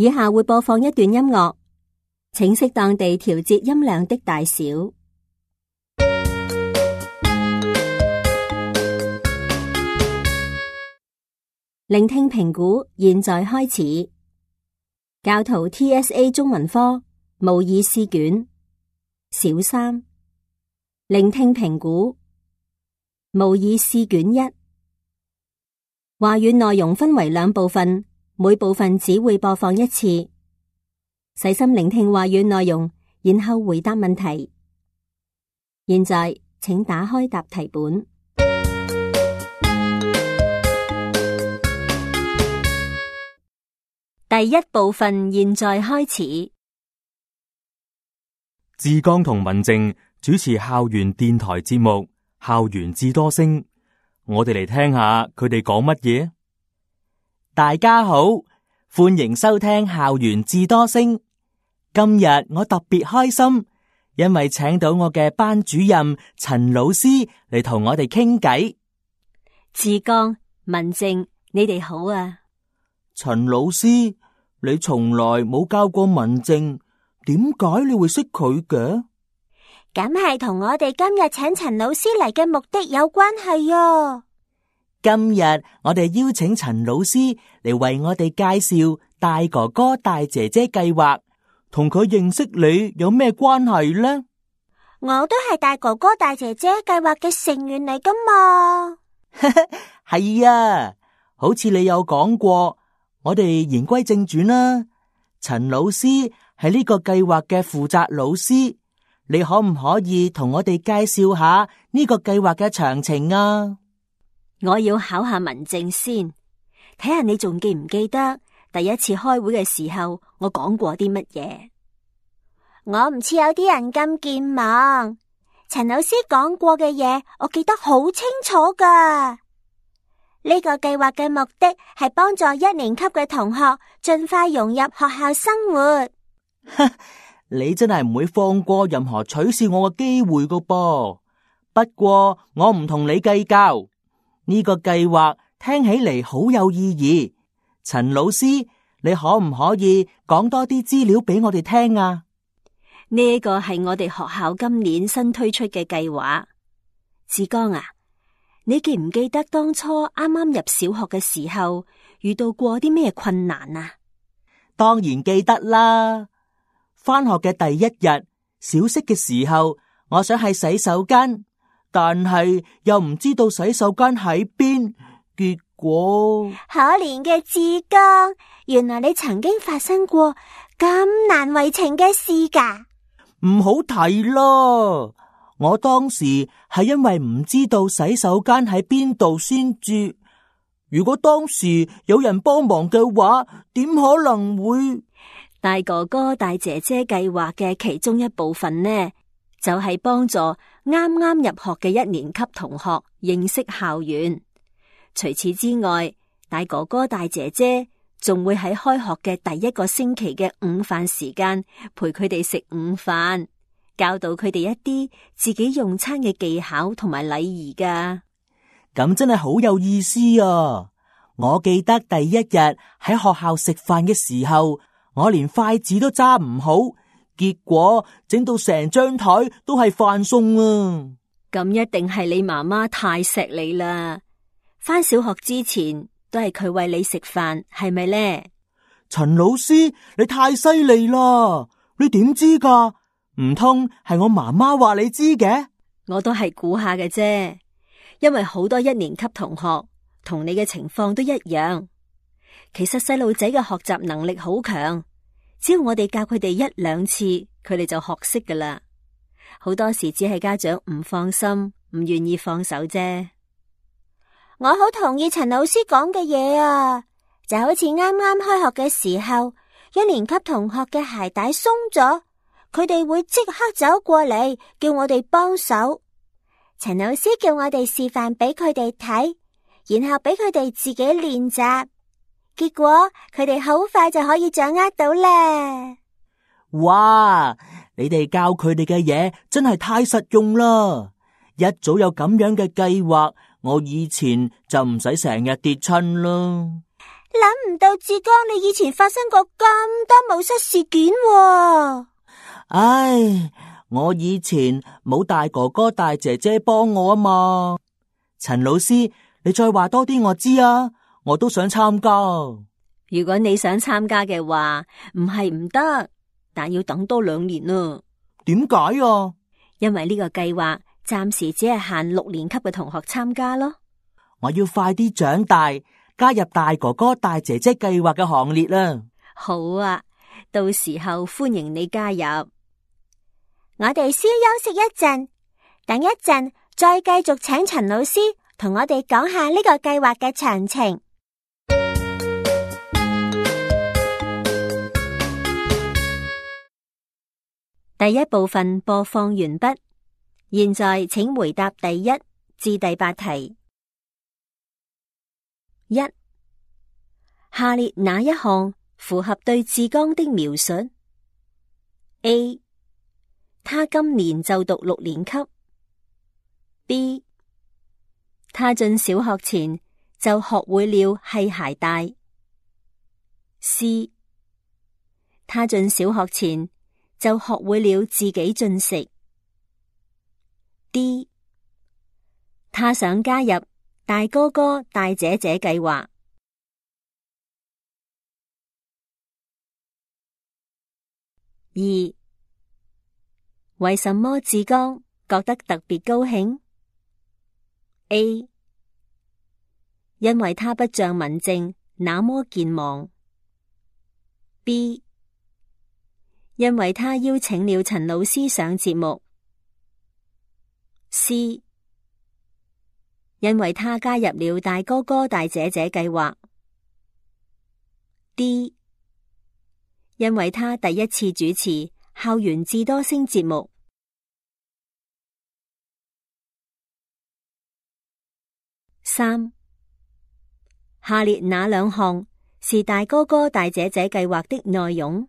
以下會播放一段音樂，請適當地調節音量的大小。聆聽評估現在開始。教徒 TSA 中文科模擬試卷小3，聆聽評估模擬試卷1。話語內容分為2部分，每部分只會播放1次。細心聆聽話語內容，然後回答問題。現在請打開答題本。第1部分現在開始。志剛同文靜主持校園電台節目《校園智多星》，我哋嚟聽下佢哋講乜嘢。大家好，歡迎收聽《校園智多星》。今日我特別開心，因為請到我嘅班主任陳老師嚟同我哋傾偈。志剛、文靜，你哋好啊！陳老師，你從來冇教過文靜，點解你會識佢嘅？咁係同我哋今日請陳老師嚟嘅目的有關係啊！今日我哋邀請陳老師嚟為我哋介紹大哥哥大姐姐計劃，同佢認識你有咩關係呢？我都係大哥哥大姐姐計劃嘅成員嚟噶嘛。係啊，好似你有講過。我哋言歸正傳啦，陳老師係呢個計劃嘅負責老師，你可唔可以同我哋介紹下呢個計劃嘅詳情啊？我要考下文靜先，睇下你仲記唔記得第一次開會嘅時候我講過啲乜嘢？我唔似有啲人咁健忘，陳老師講過嘅嘢我記得好清楚噶。呢個計劃嘅目的係幫助1年級嘅同學盡快融入學校生活。你真係唔會放過任何取笑我嘅機會噶噃。不過我唔同你計較，呢個計劃聽起嚟好有意義。陳老師，你可唔可以講多啲資料俾我哋聽啊？呢個係我哋學校今年新推出嘅計劃。志剛啊，你記唔記得當初啱啱入小學嘅時候遇到過啲咩困難啊？當然記得啦。返學嘅第一日，小息嘅時候，我想去洗手間，但係又唔知道洗手間喺邊，結果可憐嘅志剛，原來你曾經發生過咁難為情嘅事噶。唔好提咯。我當時係因為唔知道洗手間喺邊度先至。如果當時有人幫忙嘅話，點可能會？大哥哥大姐姐計劃嘅其中一部分呢，就係幫助啱啱入學嘅1年級同學認識校園。除此之外，大哥哥大姐姐仲會喺開學嘅第1個星期嘅午飯時間陪佢哋食午飯，教導佢哋一啲自己用餐嘅技巧同埋禮儀噶。咁真係好有意思啊！我記得第一日喺學校食飯嘅時候，我連筷子都揸唔好，結果整到成張台都係飯餸啊！咁一定係你媽媽太錫你啦。返小學之前都係佢餵你食飯，係咪呢？陳老師，你太犀利啦！你點知噶？唔通係我媽媽話你知嘅？我都係估下嘅啫，因為好多1年級同學同你嘅情況都一樣。其實細路仔嘅學習能力好強，只要我哋教佢哋1、2次，佢哋就學識噶啦。好多時只係家長唔放心，唔願意放手啫。我好同意陳老師講嘅嘢啊，就好似啱啱開學嘅時候，1年級同學嘅鞋帶鬆咗，佢哋會即刻走過嚟叫我哋幫手。陳老師叫我哋示範俾佢哋睇，然後俾佢哋自己練習，結果佢哋好快就可以掌握到咧。哇！你哋教佢哋嘅嘢真係太實用啦！一早有咁樣嘅計劃，我以前就唔使成日跌親啦。諗唔到志剛你以前發生過咁多冒失事件喎。唉，我以前冇大哥哥大姐姐幫我啊嘛。陳老師，你再話多啲我知啊，我都想參加。如果你想參加嘅話，唔係唔得，但要等多2年啊。點解啊？因為呢個計劃暫時只係限6年級嘅同學參加咯。我要快啲長大，加入大哥哥大姐姐計劃嘅行列啦。好啊，到時候歡迎你加入。我哋先休息一陣，等一陣再繼續請陳老師同我哋講下呢個計劃嘅詳情。第一部分播放完畢，現在請回答第1至第8題。1. 下列哪一項符合對志剛的描述 ？A. 他今年就讀6年級。B. 他進小學前就學會了繫鞋帶。C. 他進小學前就學會了自己進食。D. 他想加入大哥哥大姐姐計劃。2. 為什麼志剛覺得特別高興 ？A. 因為他不像文靜那麼健忘。B. 因為他邀請了陳老師上節目。C. 因為他加入了大哥哥大姐姐計劃。D. 因為他第一次主持校園智多星節目。3. 下列哪2項是大哥哥大姐姐計劃的內容？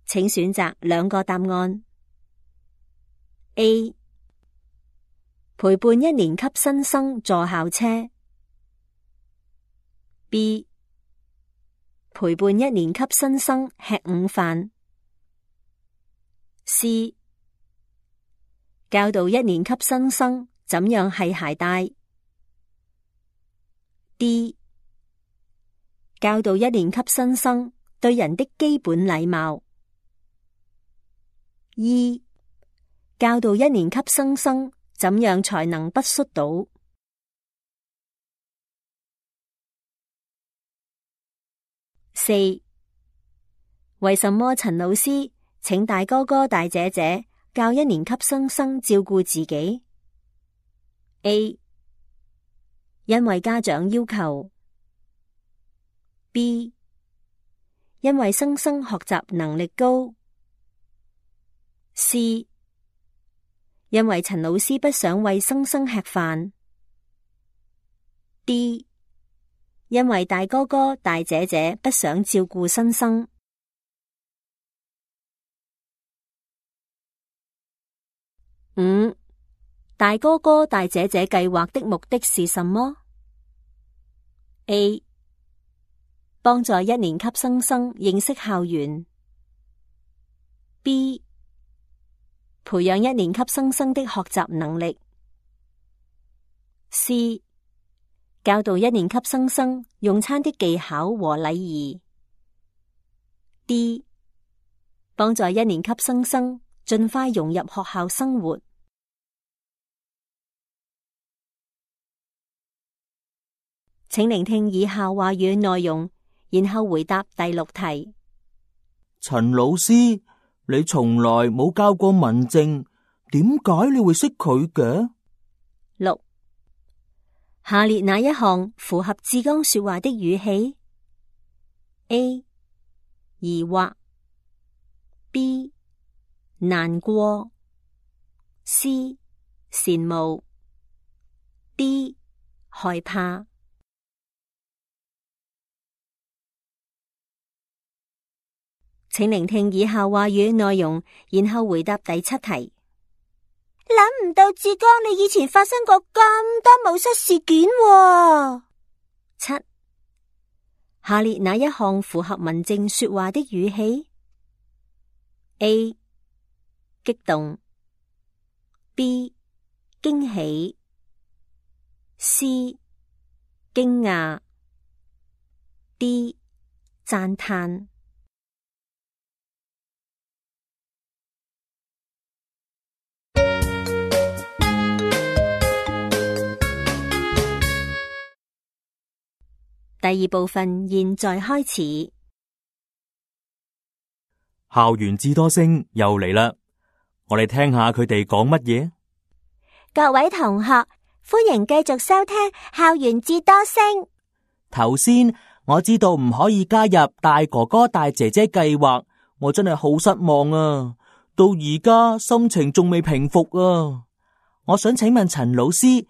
請選擇2個答案。A. 陪伴1年級新生坐校車。B. 陪伴1年級新生吃午飯。C. 教導1年級新生怎樣繫鞋帶。D. 教導1年級新生對人的基本禮貌。E. 教導1年級新生怎樣才能不摔倒。4. 為什麼陳老師請大哥哥大姐姐教1年級新生照顧自己 ？A. 因為家長要求。B. 因為新生學習能力高。C. 因為陳老師不想餵新生吃飯。D. 因為大哥哥大姐姐不想照顧新生。5. 大哥哥大姐姐計劃的目的是什麼？ A. 幫助1年級新生認識校園。B. 培養1年級新生的學習能力。C. 教導1年級新生用餐的技巧和禮儀。D. 幫助1年級新生盡快融入學校生活。請聆聽以下話語內容，然後回答第6題。陳老師，你從來冇教過文靜，點解你會識佢嘅？6. 下列哪一項符合志剛說話的語氣 ？A. 疑惑。B. 難過。C. 羨慕。D. 害怕。請聆聽以下話語內容，然後回答第7題。諗唔到志剛你以前發生過咁多冒失事件喎。7. 下列哪一項符合文靜說話的語氣 ？A. 激動 B. 驚喜 C. 驚訝 D. 讚嘆。第二部分現在開始。校園智多星又嚟啦，我哋聽下佢哋講乜嘢。各位同學，歡迎繼續收聽校園智多星。頭先我知道唔可以加入大哥哥大姐姐計劃，我真係好失望啊！到而家心情仲未平復啊！我想請問陳老師，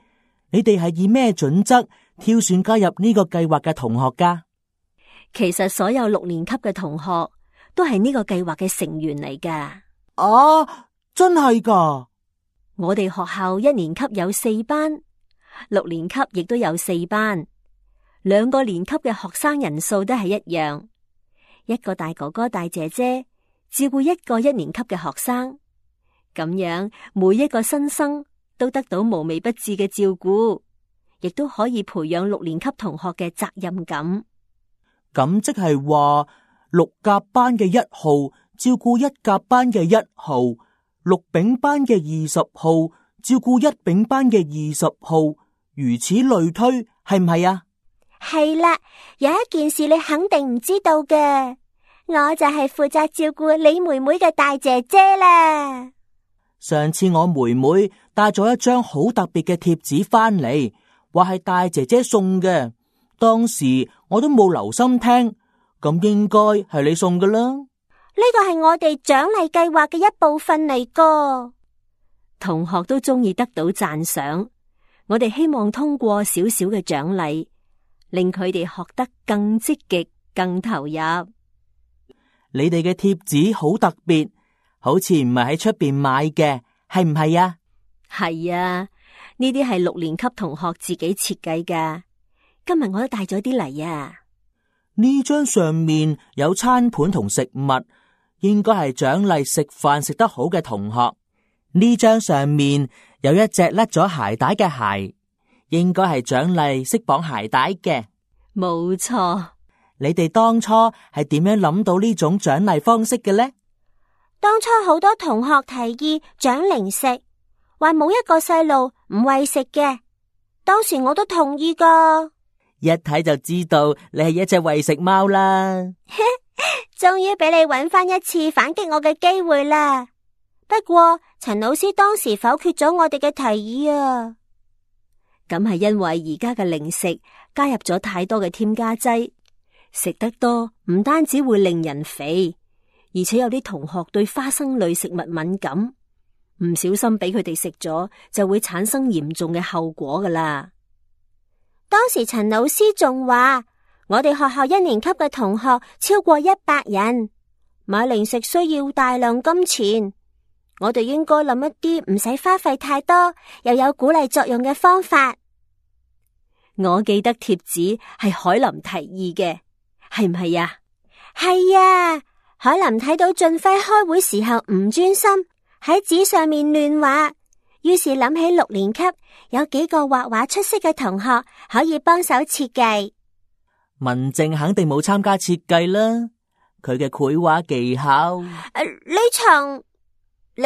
你哋係以咩準則挑選加入呢個計劃嘅同學噶？其實所有6年級嘅同學都係呢個計劃嘅成員嚟噶。啊，真係噶！我哋學校1年級有4班，6年級亦都有4班，2個年級嘅學生人數都係一樣，一個大哥哥大姐姐照顧1個1年級嘅學生，咁樣每一個新生都得到無微不至嘅照顧，亦都可以培養6年級同學嘅責任感。咁即係話6甲班嘅1號照顧1甲班嘅1號，6丙班嘅20號照顧1丙班嘅20號，如此類推，係唔係啊？係啦，有一件事你肯定唔知道嘅，我就係負責照顧你妹妹嘅大姐姐啦。上次我妹妹帶咗一張好特別嘅貼紙翻嚟，話係大姐姐送嘅。當時我都冇留心聽，咁應該係你送㗎啦。呢個係我哋獎勵計劃嘅一部分嚟噶。同學都中意得到讚賞，我哋希望通過少少嘅獎勵，令佢哋學得更積極、更投入。你哋嘅貼紙好特別，好似唔係喺出邊買嘅，係唔係啊？係啊，呢啲係6年級同學自己設計噶。今日我都帶咗啲嚟啊。呢張上面有餐盤同食物，應該係獎勵食飯食得好嘅同學。呢張上面有一隻甩咗鞋帶嘅鞋，應該係獎勵識綁鞋帶嘅。冇錯。你哋當初係點樣諗到呢種獎勵方式嘅呢？當初好多同學提議獎零食，話冇一個細路唔餵食嘅。當時我都同意噶。一睇就知道你係一隻餵食貓啦。終於俾你揾翻一次反擊我嘅機會啦。不過陳老師當時否決咗我哋嘅提議啊。咁係因為而家嘅零食加入咗太多嘅添加劑，食得多唔單止會令人肥，而且有啲同學對花生類食物敏感，唔小心俾佢哋食咗就會產生嚴重嘅後果噶啦。當時陳老師仲話，我哋學校1年級嘅同學超過100人，買零食需要大量金錢，我哋應該諗一啲唔使花費太多又有鼓勵作用嘅方法。我記得貼紙係海林提議嘅，係唔係啊？係啊，海林睇到俊輝開會時候唔專心，喺紙上面亂畫，於是諗起6年級有幾個畫畫出色嘅同學可以幫手設計。文靜肯定冇參加設計啦，佢嘅繪畫技巧。呢場你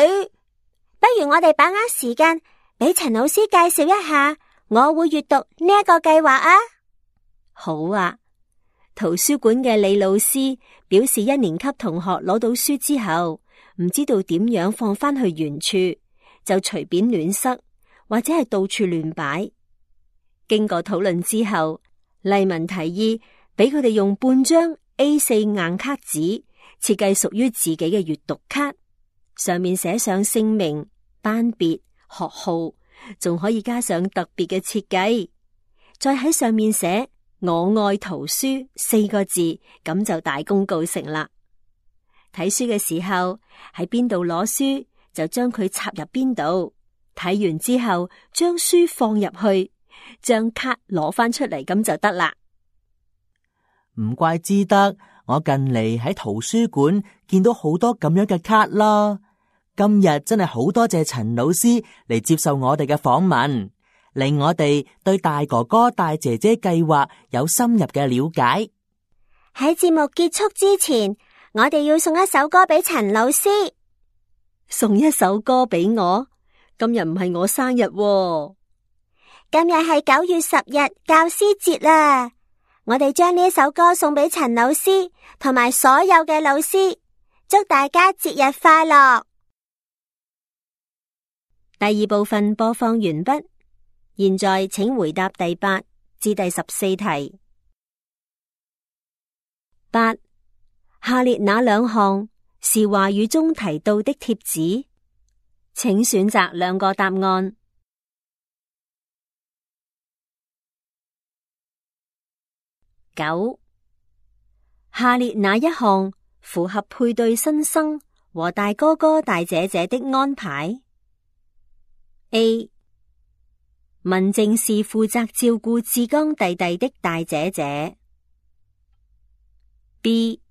不如我哋把握時間俾陳老師介紹一下，我會閱讀呢一個計劃啊。好啊，圖書館嘅李老師表示1年級同學攞到書之後唔知道點樣放翻去原處，就隨便亂塞或者係到處亂擺。經過討論之後，麗文提議俾佢哋用半張 A4 硬卡紙設計屬於自己嘅閱讀卡，上面寫上姓名、班別、學號，仲可以加上特別嘅設計，再喺上面寫我愛圖書4個字，咁就大功告成啦。睇書嘅時候喺邊度攞書就將佢插入邊度，睇完之後將書放入去，將卡攞翻出嚟，咁就得啦。唔怪之得我近嚟喺圖書館見到好多咁樣嘅卡啦。今日真係好多謝陳老師嚟接受我哋嘅訪問，令我哋對大哥哥大姐姐計劃有深入嘅了解。喺節目結束之前，我哋要送一首歌俾陳老師。送一首歌俾我？今日唔係我生日喎。今日係9月10日教師節啦，我哋將呢首歌送俾陳老師同埋所有嘅老師，祝大家節日快樂。第二部分播放完畢，現在請回答第8至第14題。8. 下列哪兩項是話語中提到的貼紙？請選擇兩個答案。9. 下列哪一項符合配對新生和大哥哥大姐姐的安排？ A. 文靜是負責照顧志剛弟弟的大姐姐。B.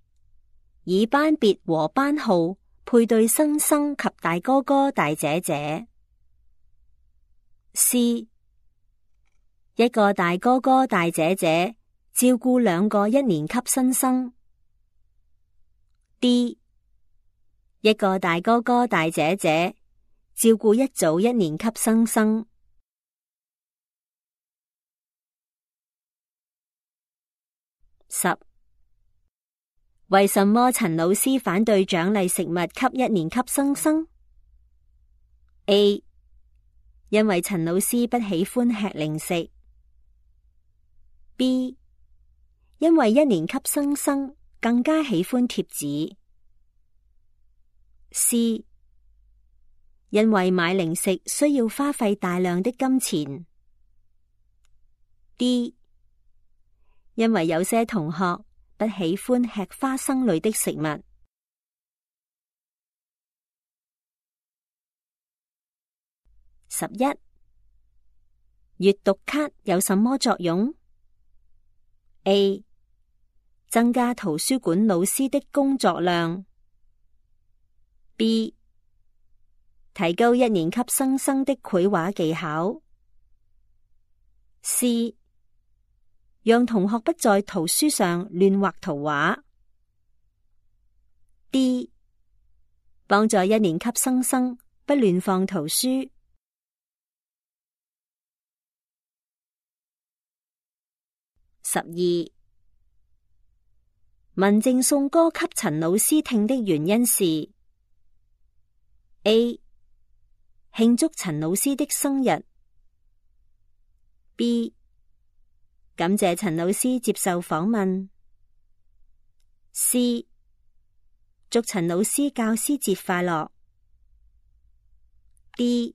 以班別和班號配對新生及大哥哥大姐姐。C. 一個大哥哥大姐姐照顧2個1年級新生。D. 一個大哥哥大姐姐照顧一組1年級新生。10. 為什麼陳老師反對獎勵食物給1年級新生？A. 因為陳老師不喜歡吃零食。B. 因為1年級新生更加喜歡貼紙。C. 因為買零食需要花費大量的金錢。D. 因為有些同學不喜歡吃花生類的食物。11. 閱讀卡有什麼作用？ A. 增加圖書館老師的工作量。B. 提高1年級新生的繪畫技巧。C. 讓同學不在圖書上亂畫圖畫。D. 幫助1年級新生不亂放圖書。12. 文靜送歌給陳老師聽的原因是 A. 慶祝陳老師的生日。B. 感謝陳老師接受訪問。C. 祝陳老師教師節快樂。D.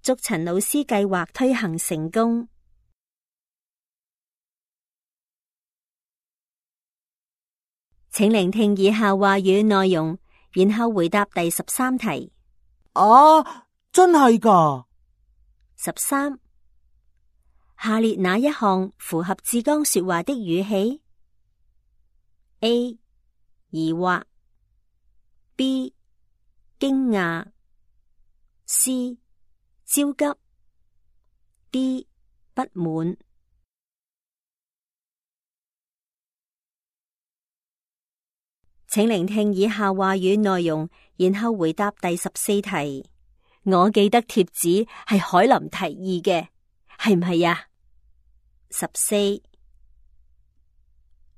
祝陳老師計劃推行成功。請聆聽以下話語內容，然後回答第13題。啊，真係㗎13. 下列哪一項符合志剛說話的語氣？ A. 疑惑。 B. 驚訝。 C. 焦急。 D. 不滿。請聆聽以下話語內容，然後回答第14題。我記得貼紙係海林提議嘅，係唔係呀？14.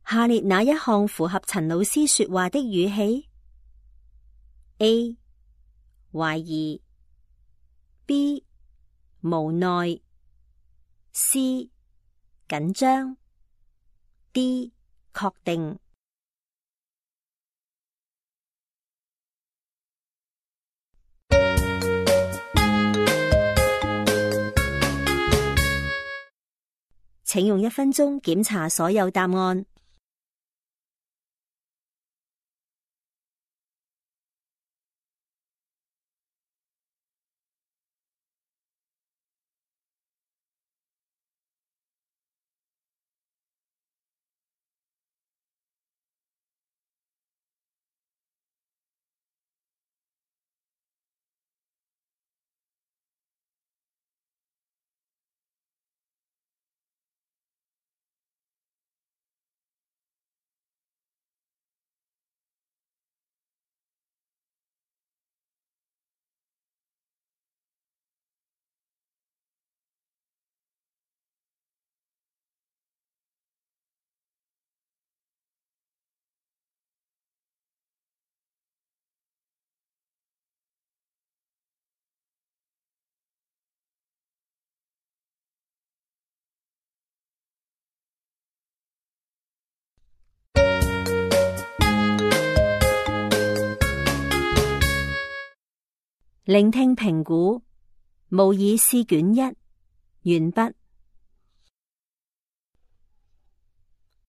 下列哪一項符合陳老師說話的語氣？ A. 懷疑。 B. 無奈。 C. 緊張。 D. 確定。請用1分鐘檢查所有答案。聆聽評估模擬試卷1完畢。